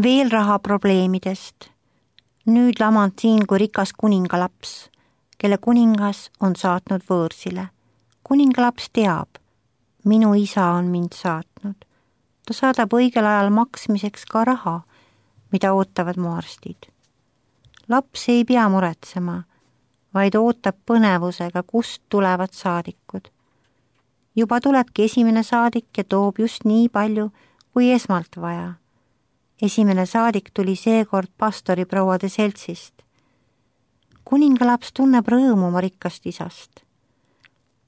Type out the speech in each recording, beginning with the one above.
Veel rahaprobleemidest. Nüüd lamand siin kui rikas kuningalaps, kelle kuningas on saatnud võõrsile. Kuningalaps teab, minu isa on mind saatnud. Ta saadab õigel ajal maksmiseks ka raha, mida ootavad mu arstid. Laps ei pea muretsema, vaid ootab põnevusega, kust tulevad saadikud. Juba tulebki esimene saadik ja toob just nii palju, kui esmalt vaja. Esimene saadik tuli seekord pastoriprouade seltsist. Kuningalaps tunneb rõõmu oma rikkast isast.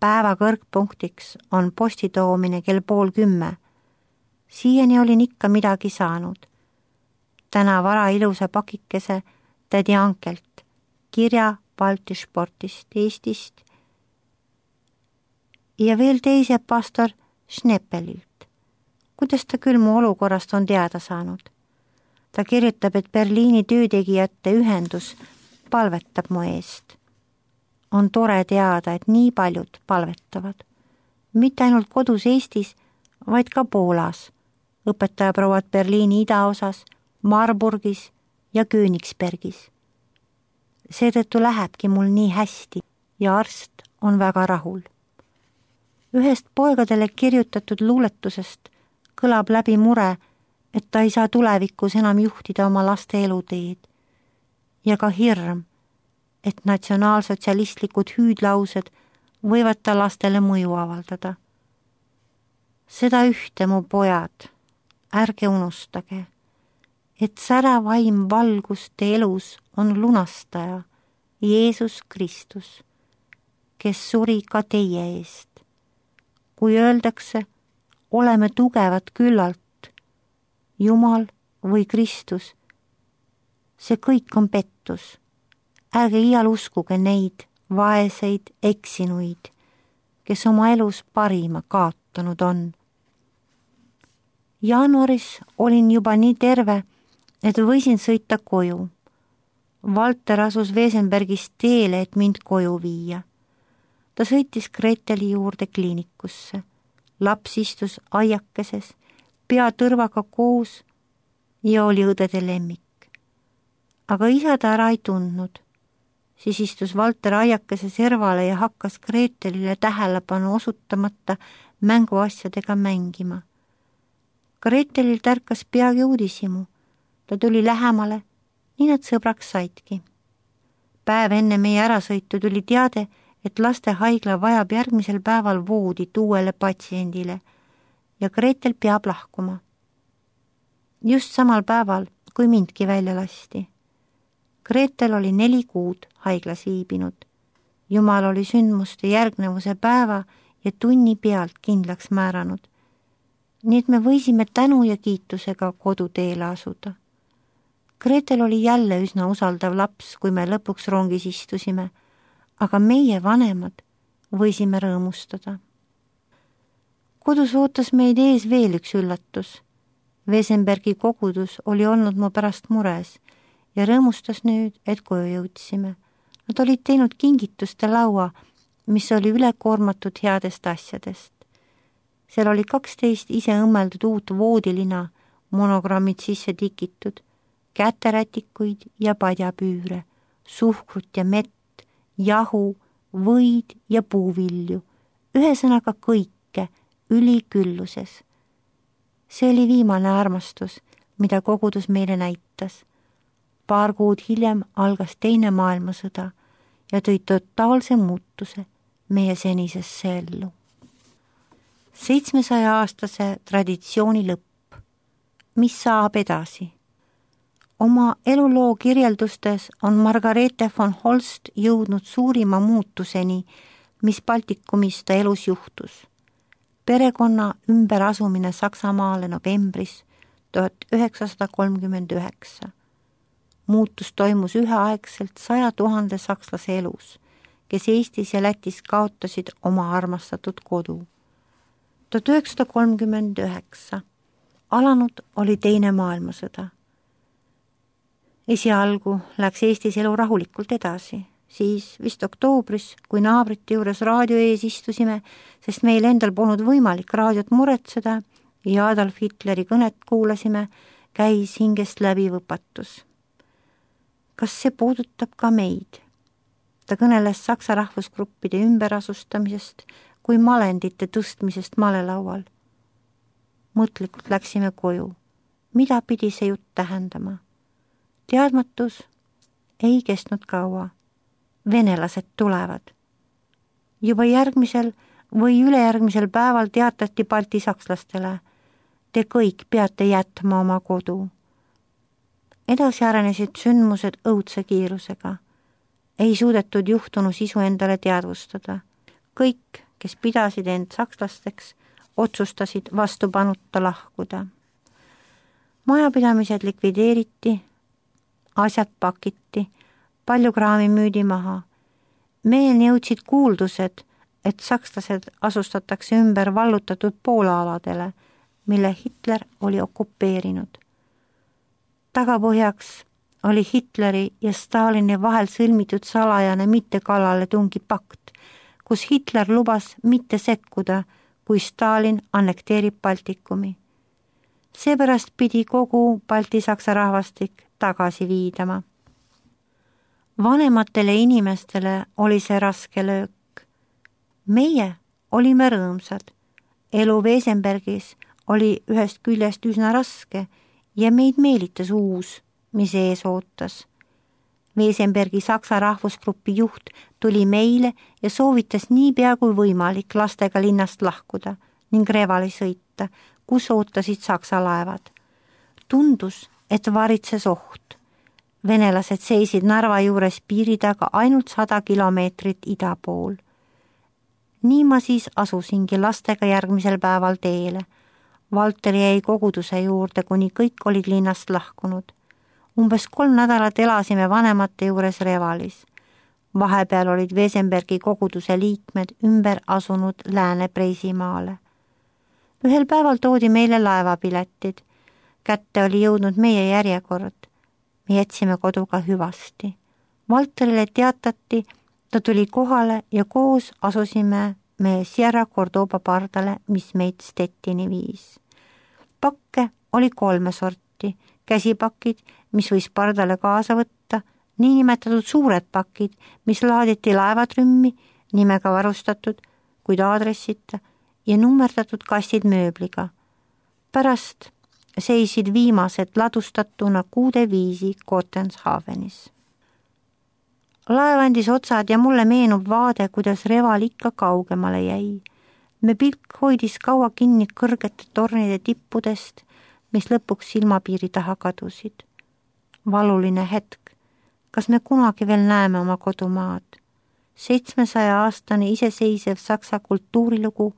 Päeva kõrgpunktiks on posti toomine kell 9:30. Siiani olin ikka midagi saanud. Täna vara ilusa pakikese tädi Ankelt, kirja Baltisportist, Eestist ja veel teise pastor Schneppelilt. Kuidas ta küll mu olukorrast on teada saanud? Ta kirjutab, et Berliini töötegijate ühendus palvetab mu eest. On tore teada, et nii paljud palvetavad. Mitte ainult kodus Eestis, vaid ka Poolas, õpetajaprouad Berliini idaosas, Marburgis ja Königsbergis. Seetõttu lähebki mul nii hästi ja arst on väga rahul. Ühest poegadele kirjutatud luuletusest kõlab läbi mure, et ta ei saa tulevikus enam juhtida oma laste eluteed ja ka hirm, et natsionaalsotsialistlikud hüüdlaused võivad ta lastele mõju avaldada. Seda ühte, mu pojad, ärge unustage, et särav vaim valguste elus on lunastaja, Jeesus Kristus, kes suri ka teie eest. Kui öeldakse, oleme tugevad küllalt, Jumal või Kristus, see kõik on pettus. Ärge iial uskuge neid vaeseid eksinuid, kes oma elus parima kaotanud on. Jaanuaris olin juba nii terve, et võisin sõita koju. Valter asus Wesenbergist teele, et mind koju viia. Ta sõitis Greteli juurde kliinikusse. Laps istus aiakeses, pea tõrvaga koos ja oli õdede lemmik. Aga isa ta ära ei tundnud. Siis istus Valter aiakese servale ja hakkas Gretelile tähelepanu osutamata mänguasjadega mängima. Gretelil tärkas peagi uudishimu. Ta tuli lähemale, nii nad sõbraks saidki. Päev enne meie ärasõitu tuli teade, et lastehaigla vajab järgmisel päeval voodit uuele patsiendile ja Gretel peab lahkuma. Just samal päeval, kui mindki välja lasti. Gretel oli 4 kuud haiglas viibinud. Jumal oli sündmuste järgnevuse päeva ja tunni pealt kindlaks määranud. Nii et me võisime tänu ja kiitusega koduteele asuda. Gretel oli jälle üsna usaldav laps, kui me lõpuks rongis istusime, aga meie vanemad võisime rõõmustada. Kodus ootas meid ees veel üks üllatus. Wesenbergi kogudus oli olnud mu pärast mures ja rõõmustas nüüd, et koju jõudsime. Nad olid teinud kingituste laua, mis oli ülekoormatud headest asjadest. Seal oli 12 ise õmmeldud uut voodilina, monogrammid sisse tikitud, käterätikuid ja padjapüüre, suhkrut ja mett, jahu, võid ja puuvilju, ühesõnaga kõike ülikülluses. See oli viimane armastus, mida kogudus meile näitas. Paar kuud hiljem algas Teine maailmasõda ja tõi totaalse muutuse meie senisesse ellu. 700-aastase traditsiooni lõpp. Mis saab edasi? Oma eluloo kirjeldustes on Margarethe von Holst jõudnud suurima muutuseni, mis Baltikumis ta elus juhtus. Perekonna ümberasumine Saksamaale novembris 1939. Muutus toimus üheaegselt 100 000 sakslase elus, kes Eestis ja Lätis kaotasid oma armastatud kodu. 1939. Alanud oli Teine maailmasõda. Esialgu läks Eestis elu rahulikult edasi, siis vist oktoobris, kui naabrite juures raadio ees istusime, sest meil endal polnud võimalik raadiot muretseda ja Adolf Hitleri kõnet kuulasime, käis hingest läbi võpatus. Kas see puudutab ka meid? Ta kõneles saksa rahvusgruppide ümberasustamisest kui malendite tõstmisest malelaual. Mõtlikult läksime koju. Mida pidi see jutt tähendama? Teadmatus ei kestnud kaua. Venelased tulevad. Juba järgmisel või ülejärgmisel päeval teatati Balti sakslastele: te kõik peate jätma oma kodu. Edasi arenesid sündmused õudse kiirusega. Ei suudetud juhtunu sisu endale teadvustada. Kõik, kes pidasid end sakslasteks, otsustasid vastupanuta lahkuda. Majapidamised likvideeriti, asjad pakiti, palju kraami müüdi maha. Meieni jõudsid kuuldused, et sakslased asustatakse ümber vallutatud Poola-aladele, mille Hitler oli okupeerinud. Tagapõhjaks oli Hitleri ja Stalini vahel sõlmitud salajane mittekallaletungi pakt, kus Hitler lubas mitte sekkuda, kui Stalin annekteerib Baltikumi. Seepärast pidi kogu Balti-Saksa rahvastik tagasi viidama. Vanematele inimestele oli see raske löök. Meie olime rõõmsad. Elu Wesenbergis oli ühest küljest üsna raske ja meid meelitas uus, mis ees ootas. Wesenbergi Saksa rahvusgrupi juht tuli meile ja soovitas niipea kui võimalik lastega linnast lahkuda ning Revali sõita, kus ootasid Saksa laevad. Tundus, et varitses oht. Venelased seisid Narva juures piiri taga ainult 100 kilomeetrit ida pool. Nii ma siis asusingi lastega järgmisel päeval teele. Valter jäi koguduse juurde, kuni kõik olid linnast lahkunud. Umbes 3 nädalat elasime vanemate juures Revalis. Vahepeal olid Wesenbergi koguduse liikmed ümber asunud Lääne-Preisimaale. Ühel päeval toodi meile laevapiletid. Kätte oli jõudnud meie järjekord. Me jätsime koduga hüvasti. Valterile teatati, ta tuli kohale ja koos asusime me Sierra Cordoba pardale, mis meid Stettini viis. Pakke oli 3 sorti. Käsipakid, mis võis pardale kaasa võtta, niinimetatud suured pakid, mis laaditi laevatrümmi, nimega varustatud, kuid aadressita, ja nummerdatud kastid mööbliga. Pärast seisid viimased ladustatuna kuude viisi Kottenshavenis. Laev andis otsad ja mulle meenub vaade, kuidas Reval ikka kaugemale jäi. Me pilk hoidis kaua kinni kõrgete tornide tippudest, mis lõpuks silmapiiri taha kadusid. Valuline hetk. Kas me kunagi veel näeme oma kodumaad? 700-aastane iseseisev saksa kultuurilugu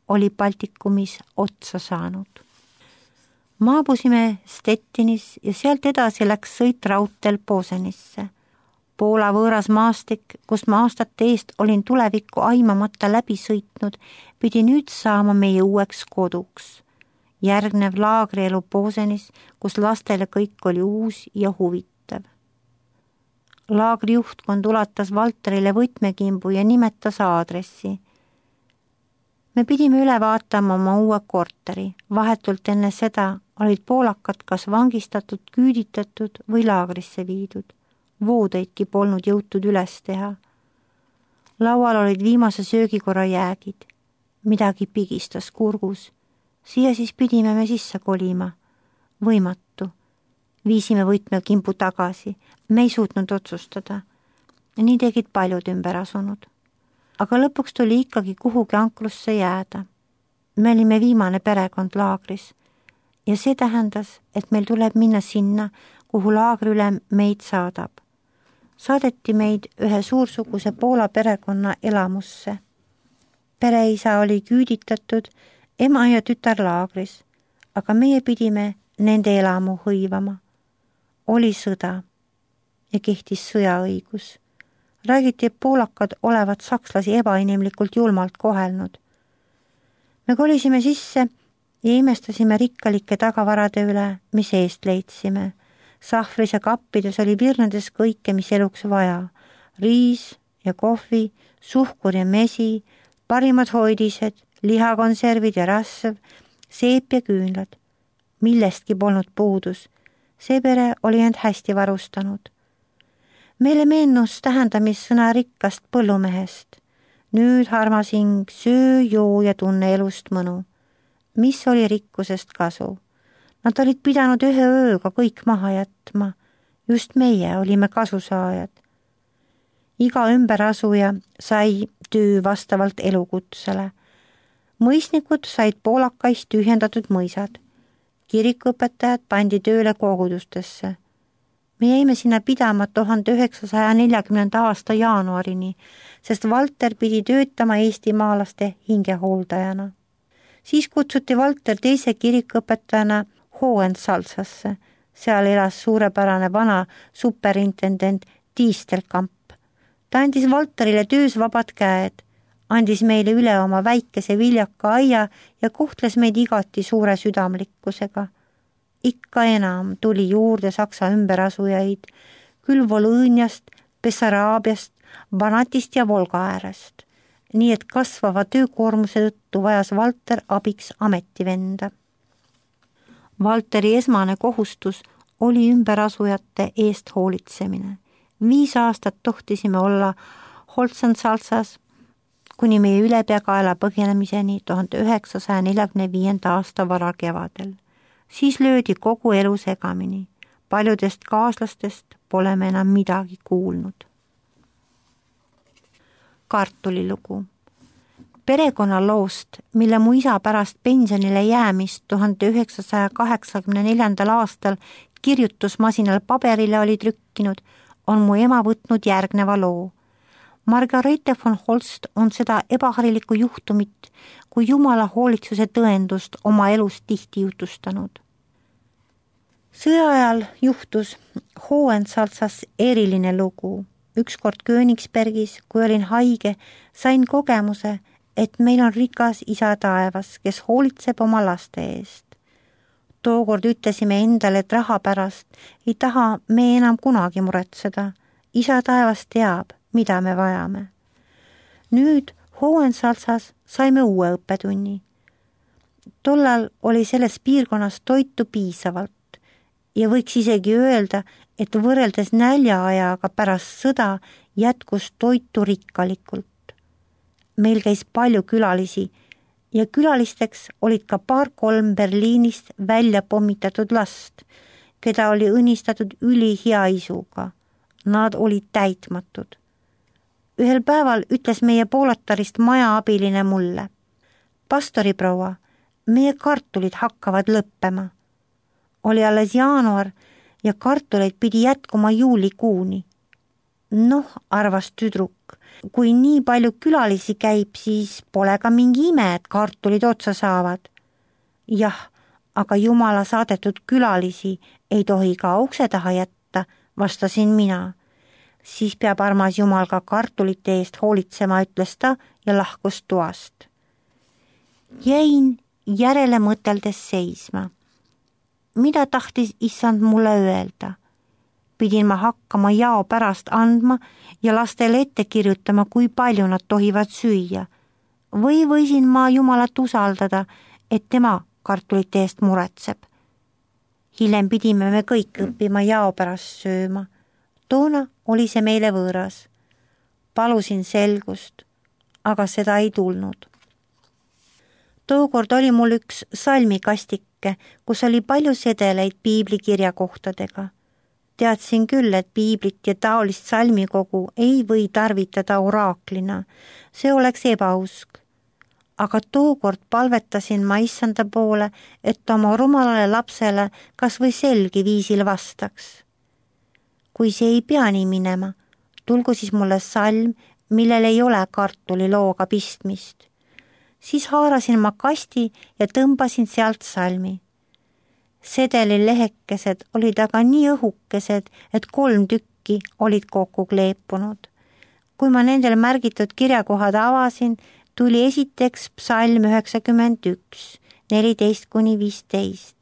oli Baltikumis otsa saanud. Maabusime Stettinis ja sealt edasi läks sõit raudteel Posenisse. Poola võõras maastik, kus ma aastate eest olin tulevikku aimamata läbi sõitnud, pidi nüüd saama meie uueks koduks. Järgnev laagrielu Posenis, kus lastele kõik oli uus ja huvitav. Laagri juhtkond ulatas Valterile võtmekimbu ja nimetas aadressi. Me pidime üle vaatama oma uue korteri. Vahetult enne seda olid poolakad kas vangistatud, küüditatud või laagrisse viidud. Voodeidki polnud jõutud üles teha. Laual olid viimase söögikorra jäägid. Midagi pigistas kurgus. Siia siis pidime me sisse kolima. Võimatu. Viisime võtmekimbu tagasi. Me ei suutnud otsustada. Nii tegid paljud ümber asunud. Aga lõpuks tuli ikkagi kuhugi ankrusse jääda. Me olime viimane perekond laagris. Ja see tähendas, et meil tuleb minna sinna, kuhu laagriülem meid saadab. Saadeti meid ühe suursuguse Poola perekonna elamusse. Pereisa oli küüditatud, ema ja tütar laagris, aga meie pidime nende elamu hõivama. Oli sõda ja kehtis sõjaõigus. Räägiti, et poolakad olevat sakslasi ebainimlikult julmalt kohelnud. Me kolisime sisse ja imestasime rikkalike tagavarade üle, mis eest leidsime. Sahvris ja kappides oli virnedes kõike, mis eluks vaja. Riis ja kohvi, suhkur ja mesi, parimad hoidised, lihakonservid ja rasv, seep ja küünlad. millestki polnud puudus. See pere oli end hästi varustanud. Meile meenus tähendamissõna rikkast põllumehest. Nüüd, armas hing, söö, joo ja tunne elust mõnu. Mis oli rikkusest kasu? Nad olid pidanud ühe ööga kõik maha jätma. Just meie olime kasusaajad. Iga ümberasuja sai töö vastavalt elukutsele. Mõisnikud said poolakais tühjendatud mõisad. Kirikuõpetajad pandi tööle kogudustesse. Me jäime sinna pidama 1940. aasta jaanuarini, sest Valter pidi töötama eestimaalaste hingehooldajana. Siis kutsuti Valter teise kirikuõpetajana Hohensalzasse. Seal elas suurepärane vana superintendent Tiistelkamp. Ta andis Valterile töös vabad käed, andis meile üle oma väikese viljaka aia ja kohtles meid igati suure südamlikkusega. Ikka enam tuli juurde Saksa ümberasujaid, küll Volõõniast, Bessaraabiast, Banatist ja Volga äärest. Nii et kasvava töökoormuse tõttu vajas Valter abiks ametivenda. Valteri esmane kohustus oli ümberasujate eest hoolitsemine. 5 aastat tohtisime olla Hohensalzas kuni meie ülepeakaela põgenemiseni 1945. aasta varakevadel. Siis löödi kogu elu segamini. Paljudest kaaslastest pole me enam midagi kuulnud. Kartulilugu. Perekonnaloost, mille mu isa pärast pensionile jäämist 1984. aastal kirjutusmasinal paberile oli trükkinud, on mu ema võtnud järgneva loo. Margarete von Holst on seda ebaharilikku juhtumit kui Jumala hoolitsuse tõendust oma elus tihti jutustanud. Sõja ajal juhtus Hohensalzas eriline lugu. Ükskord Königsbergis, kui olin haige, sain kogemuse, et meil on rikas isa taevas, kes hoolitseb oma laste eest. Tookord ütlesime endale, et raha pärast ei taha me enam kunagi muretseda. Isa taevas teab, mida me vajame. Nüüd Hohensalzas saime uue õppetunni. Tollal oli selles piirkonnas toitu piisavalt ja võiks isegi öelda, et võrreldes näljaajaga pärast sõda jätkus toitu rikkalikult. Meil käis palju külalisi ja külalisteks olid ka 2-3 Berliinist välja pommitatud last, keda oli õnnistatud ülihea isuga. Nad olid täitmatud. Ühel päeval ütles meie Poolatarist majaabiline mulle: pastoriproua, meie kartulid hakkavad lõppema. Oli alles jaanuar ja kartuleid pidi jätkuma juulikuuni. Noh, arvas tüdruk, kui nii palju külalisi käib, siis pole ka mingi ime, et kartulid otsa saavad. Jah, aga Jumala saadetud külalisi ei tohi ka ukse taha jätta, vastasin mina. Siis peab armas Jumal ka kartulite eest hoolitsema, ütles ta ja lahkus toast. Jäin järele mõteldes seisma. Mida tahtis issand mulle öelda? Pidin ma hakkama jao pärast andma ja lastele ette kirjutama, kui palju nad tohivad süüa. Või võisin ma Jumalat usaldada, et tema kartulite eest muretseb. Hiljem pidime me kõik õppima jao pärast sööma. Toona oli see meile võõras. Palusin selgust, aga seda ei tulnud. Tookord oli mul üks salmikastike, kus oli palju sedeleid piiblikirjakohtadega. Teadsin küll, et piiblit ja taolist salmikogu ei või tarvitada oraaklina. See oleks ebausk. Aga tookord palvetasin ma issanda poole, et oma rumalale lapsele kas või selgi viisil vastaks. Kui see ei pea nii minema, tulgu siis mulle salm, millel ei ole kartulilooga pistmist. Siis haarasin ma kasti ja tõmbasin sealt salmi. Sedeli lehekesed olid aga nii õhukesed, et 3 tükki olid kokku kleepunud. Kui ma nendel märgitud kirjakohad avasin, tuli esiteks psalm 91, 14-15.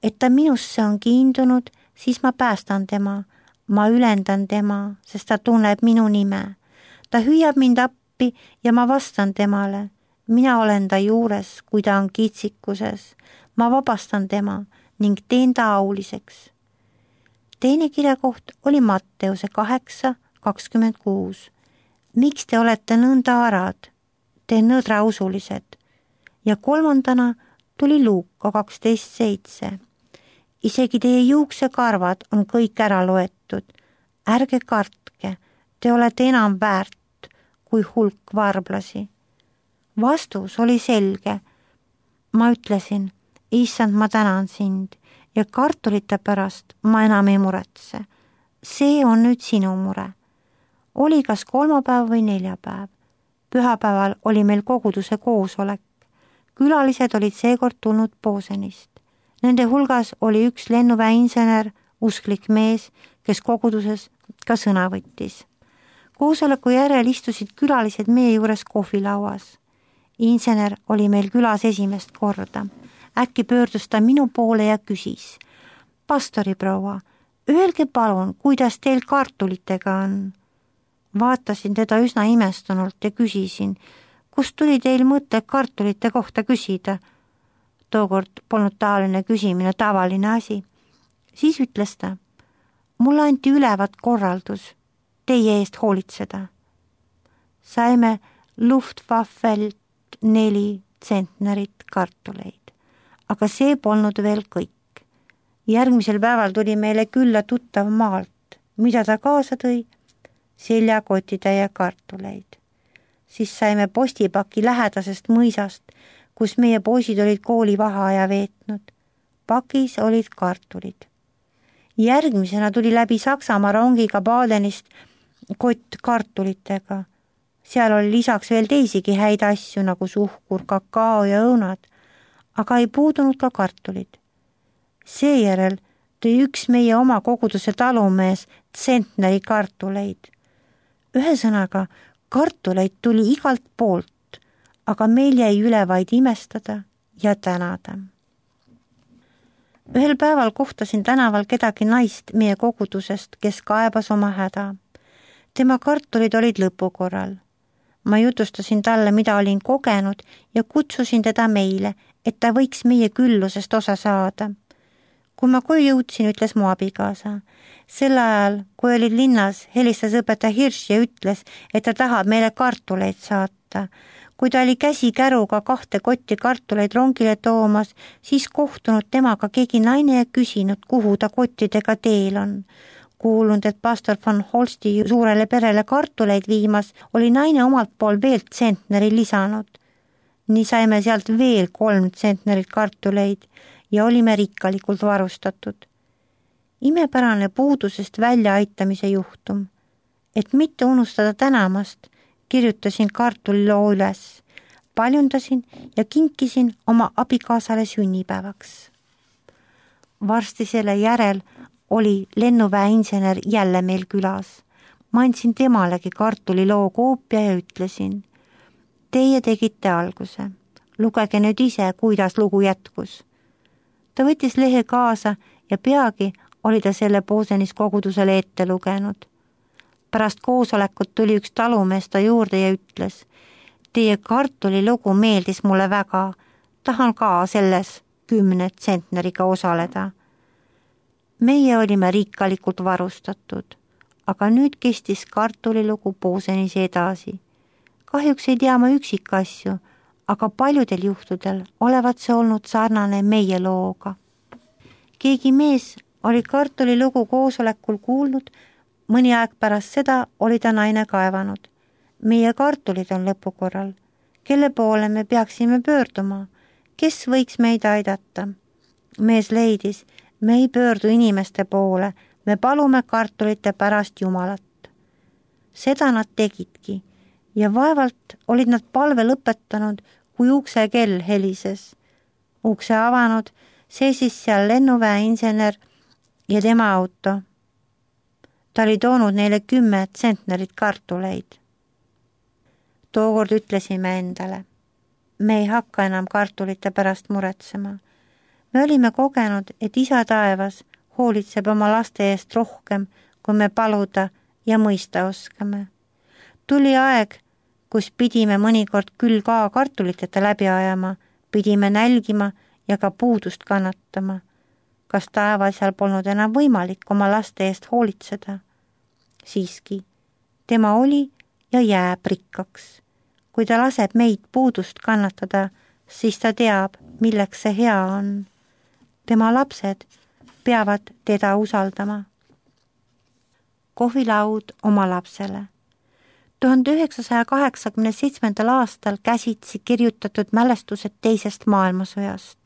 Et ta minusse on kiindunud, siis ma päästan tema. Ma ülendan tema, sest ta tunneb minu nime. Ta hüüab mind appi ja ma vastan temale. Mina olen ta juures, kui ta on kitsikuses. Ma vabastan tema, ning teen ta auliseks. Teine kirjakoht oli Matteuse 8:26. Miks te olete nõnda arad, te nõdrausulised? Ja kolmandana tuli Luuka 12:7. Isegi teie juuksekarvad on kõik ära loetud. Ärge kartke, te olete enam väärt kui hulk varblasi. Vastus oli selge. Ma ütlesin, issand, ma tänan sind ja kartulite pärast ma enam ei muretse. See on nüüd sinu mure. Oli kas kolmapäev või neljapäev. Pühapäeval oli meil koguduse koosolek. Külalised olid seekord tulnud Posenist. Nende hulgas oli üks lennuväeinsener, usklik mees, kes koguduses ka sõna võttis. Koosoleku järel istusid külalised meie juures kohvilauas. Insener oli meil külas esimest korda. Äkki pöördus ta minu poole ja küsis. Pastoriproua, öelge palun, kuidas teil kartulitega on? Vaatasin teda üsna imestunult ja küsisin, kust tuli teil mõte kartulite kohta küsida? Tookord polnud taoline küsimine tavaline asi. Siis ütles ta, mulle anti ülevat korraldus teie eest hoolitseda. Saime Luftwaffelt 4 tsentnerit kartuleid, aga see polnud veel kõik. Järgmisel päeval tuli meile külla tuttav maalt, mida ta kaasa tõi? Seljakotitäie kartuleid. Siis saime postipaki lähedasest mõisast, kus meie poisid olid koolivaheaja veetnud. Pakis olid kartulid. Järgmisena tuli läbi Saksamaa rongiga Badenist kott kartulitega. Seal oli lisaks veel teisigi häid asju nagu suhkur, kakao ja õunad, aga ei puudunud ka kartulid. Seejärel tõi üks meie oma koguduse talumees tsentneri kartuleid. Ühesõnaga, kartuleid tuli igalt poolt, aga meil jäi üle vaid imestada ja tänada. Ühel päeval kohtasin tänaval kedagi naist meie kogudusest, kes kaebas oma häda. Tema kartulid olid lõpukorral. Ma jutustasin talle, mida olin kogenud ja kutsusin teda meile, et ta võiks meie küllusest osa saada. Kui ma koju jõudsin, ütles mu abikaasa. Sel ajal, kui olid linnas, helistas õpetaja Hirš ja ütles, et ta tahab meile kartuleid saata. Kui ta oli käsikäruga 2 kotti kartuleid rongile toomas, siis kohtunud temaga keegi naine ja küsinud, kuhu ta kottidega teel on. Kuulunud, et pastor von Holsti suurele perele kartuleid viimas, oli naine omalt pool veel tsentneri lisanud. Nii saime sealt veel 3 tsentnerit kartuleid ja olime rikkalikult varustatud. Imepärane puudusest väljaaitamise juhtum. Et mitte unustada tänamast, kirjutasin kartuliloo üles, paljundasin ja kinkisin oma abikaasale sünnipäevaks. Varsti selle järel oli lennuväeinsener jälle meil külas. Ma andsin temalegi kartuliloo koopia ja ütlesin, teie tegite alguse. Lugege nüüd ise, kuidas lugu jätkus. Ta võttis lehe kaasa ja peagi oli ta selle Posenis kogudusele ette lugenud. Pärast koosolekut tuli üks talumees ta juurde ja ütles, teie kartulilugu meeldis mulle väga, tahan ka selles 10 tsentneriga osaleda. Meie olime rikkalikult varustatud, aga nüüd kestis kartulilugu Posenis edasi. Kahjuks ei tea ma üksikasju, aga paljudel juhtudel olevat see olnud sarnane meie looga. Keegi mees oli kartulilugu koosolekul kuulnud, mõni aeg pärast seda oli ta naine kaevanud. Meie kartulid on lõpukorral. Kelle poole me peaksime pöörduma? Kes võiks meid aidata? Mees leidis, me ei pöördu inimeste poole, me palume kartulite pärast Jumalat. Seda nad tegidki ja vaevalt olid nad palve lõpetanud, kui ukse kell helises. Ukse avanud, seisis seal lennuväeinsener ja tema auto. Ta oli toonud neile 10 tsentnerit kartuleid. Tookord ütlesime endale, me ei hakka enam kartulite pärast muretsema. Me olime kogenud, et Isa taevas hoolitseb oma laste eest rohkem, kui me paluda ja mõista oskame. Tuli aeg, kus pidime mõnikord küll ka kartuliteta läbi ajama, pidime nälgima ja ka puudust kannatama. kas taevasel polnud enam võimalik oma laste eest hoolitseda. Siiski, tema oli ja jääb rikkaks. Kui ta laseb meid puudust kannatada, siis ta teab, milleks see hea on. Tema lapsed peavad teda usaldama. Kohvilaud oma lapsele. 1987. aastal käsitsi kirjutatud mälestused teisest maailmasõjast.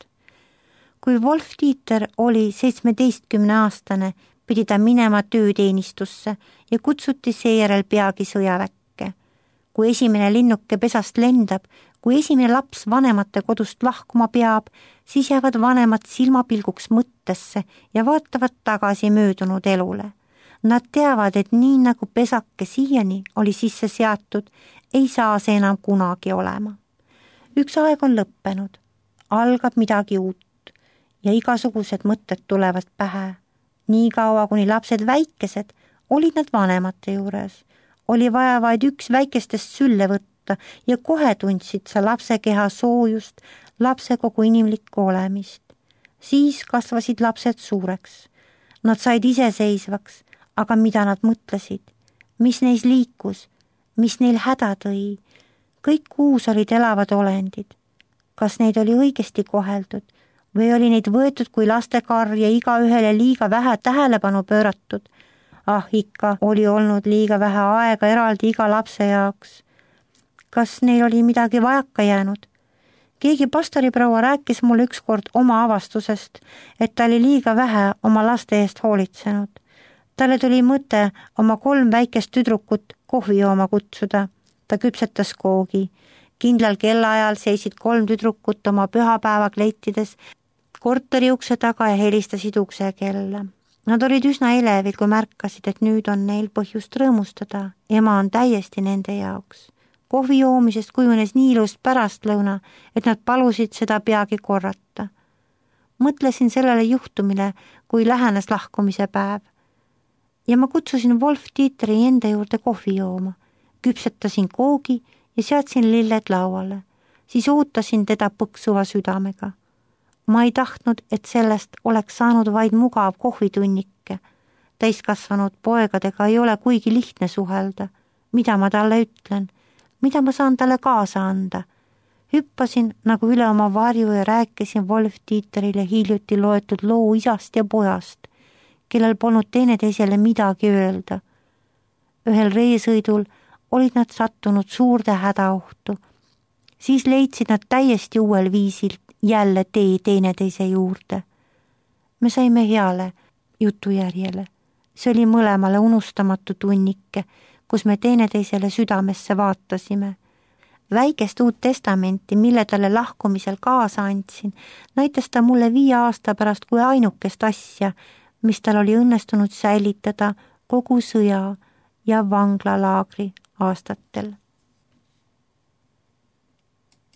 Kui Wolf-Dieter oli 17-aastane, pidi ta minema tööteenistusse ja kutsuti seejärel peagi sõjaväkke. Kui esimene linnuke pesast lendab, kui esimene laps vanemate kodust lahkuma peab, siis jäävad vanemad silmapilguks mõttesse ja vaatavad tagasi möödunud elule. Nad teavad, et nii nagu pesake siiani oli sisse seatud, ei saa see enam kunagi olema. Üks aeg on lõppenud, algab midagi uut ja igasugused mõtted tulevad pähe. Nii kaua, kuni lapsed väikesed, olid nad vanemate juures. Oli vaja vaid üks väikestest sülle võtta ja kohe tundsid sa lapse keha soojust, lapse kogu inimlikku olemist. Siis kasvasid lapsed suureks. Nad said iseseisvaks, aga mida nad mõtlesid? Mis neis liikus? Mis neil häda tõi? Kõik kuus olid elavad olendid. Kas neid oli õigesti koheldud? Või oli neid võetud kui lastekar ja igaühele liiga vähe tähelepanu pööratud? Ikka oli olnud liiga vähe aega eraldi iga lapse jaoks. Kas neil oli midagi vajaka jäänud? Keegi pastoriproua rääkis mulle ükskord oma avastusest, et ta oli liiga vähe oma laste eest hoolitsenud. Talle tuli mõte oma 3 väikest tüdrukut kohvi jooma kutsuda. Ta küpsetas koogi. Kindlal kellaajal seisid 3 tüdrukut oma pühapäevakleitides korteri ukse taga ja helistasid ukse kella. Nad olid üsna elevil, kui märkasid, et nüüd on neil põhjust rõõmustada. Ema on täiesti nende jaoks. Kohvi joomisest kujunes nii ilus pärastlõuna, et nad palusid seda peagi korrata. Mõtlesin sellele juhtumile, kui lähenes lahkumise päev. Ja ma kutsusin Wolf-Dieteri enda juurde kohvi jooma. Küpsetasin koogi ja seadsin lilled lauale. Siis ootasin teda põksuva südamega. Ma ei tahtnud, et sellest oleks saanud vaid mugav kohvitunnike. Täiskasvanud poegadega ei ole kuigi lihtne suhelda. Mida ma talle ütlen? Mida ma saan talle kaasa anda? Hüppasin nagu üle oma varju ja rääkisin Wolf-Dieterile hiljuti loetud loo isast ja pojast, kellel polnud teineteisele midagi öelda. Ühel reisõidul olid nad sattunud suurde hädaohtu. Siis leidsid nad täiesti uuel viisil jälle tee teineteise juurde. Me saime heale jutujärjele. See oli mõlemale unustamatu tunnike, kus me teineteisele südamesse vaatasime. Väikest Uut Testamenti, mille talle lahkumisel kaasa andsin, näitas ta mulle 5 aasta pärast kui ainukest asja, mis tal oli õnnestunud säilitada kogu sõja ja vanglalaagri aastatel.